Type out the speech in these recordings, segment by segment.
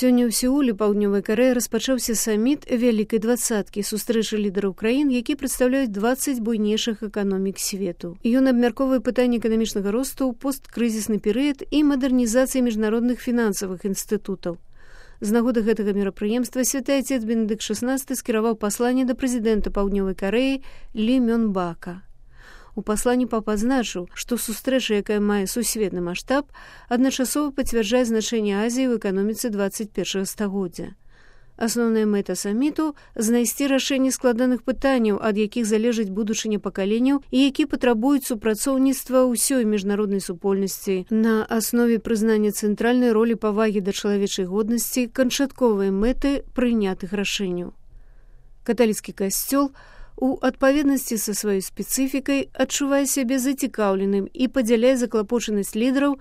Сёння ў Сеуле паўднёвай Карэі распачаўся саміт вялікай двадцаткі, сустрэча лідараў краін, які прадстаўляюць 20 буйнейшых эканомік свету. Ён абмяркоўвае пытанні эканамічнага росту ў посткрызісны перыяд і мадэрнізацыі міжнародных фінансавых інстытутаў. З нагоды гэтага мерапрыемства святы Отец Бенедыкт XVI скіраваў пасланне да прэзідэнта паўднёвай Карэі Лі Мён Бака. У пасланні папа адзначыў, што сустрэча, якая мае сусветны маштаб, адначасова пацвярджае значэнне Азіі ў эканоміцы 21 стагоддзя. Асноўная мэта саміту – знайсці рашэнне складаных пытанняў, ад якіх залежыць будучыня пакаленняў і які патрабуюць супрацоўніцтва ўсёй міжнароднай супольнасці на аснове прызнання цэнтральнай ролі павагі да чалавечай годнасці, канчатковай мэты прынятых рашэнняў. Каталіцкі касцёл у адпаведнасці са сваёй спецыфікай адчувае сябе зацікаўленым і падзяляе заклапочанасць лідараў,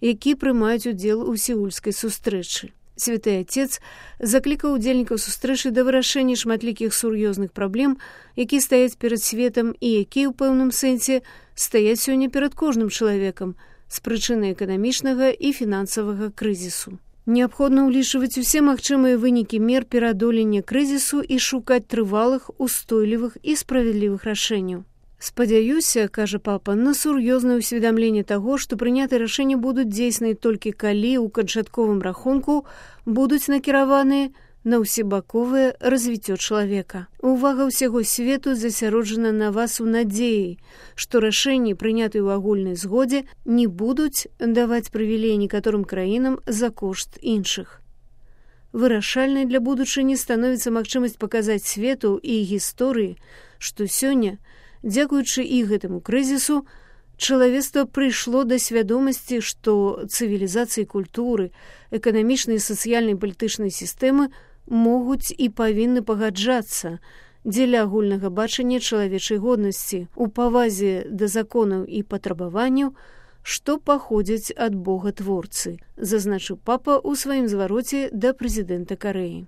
які прымаюць удзел у сеульскай сустрэчы. Святы Отец заклікаў удзельнікаў сустрэчы да вырашэння шматлікіх сур'ёзных праблем, якія стаяць перад светам і якія ў пэўным сэнсе стаяць сёння перад кожным чалавекам з прычыны эканамічнага і фінансавага крызісу. Неабходна ўлічваць усе магчымыя вынікі мер пераадолення крызісу і шукаць трывалых, устойлівых і справядлівых рашэнняў. Спадзяюся, кажа папа, на сур'ёзнае ўсведамленне таго, што прынятыя рашэнні будуць дзейсныя толькі калі ў канчатковым рахунку будуць накіраваныя на ўсебаковае развіццё чалавека. Увага ўсяго свету засяроджана на вас у надзеі, што рашэнні, прынятыя ў агульнай згодзе, не будуць даваць прывілеі некаторым краінам за кошт іншых. Вырашальнай для будучыні становіцца магчымасць паказаць свету і гісторыі, што сёння, дзякуючы і гэтаму крызісу, чалавецтва прыйшло да свядомасці, што цывілізацыі культуры, эканамічнай і сацыяльнай палітычнай сістэмы могуць і павінны пагаджацца дзеля агульнага бачання чалавечай годнасці у павазе да законаў і патрабаванняў, што паходзяць ад Бога-творцы, зазначыў папа ў сваім звароце да прэзідэнта Карэі.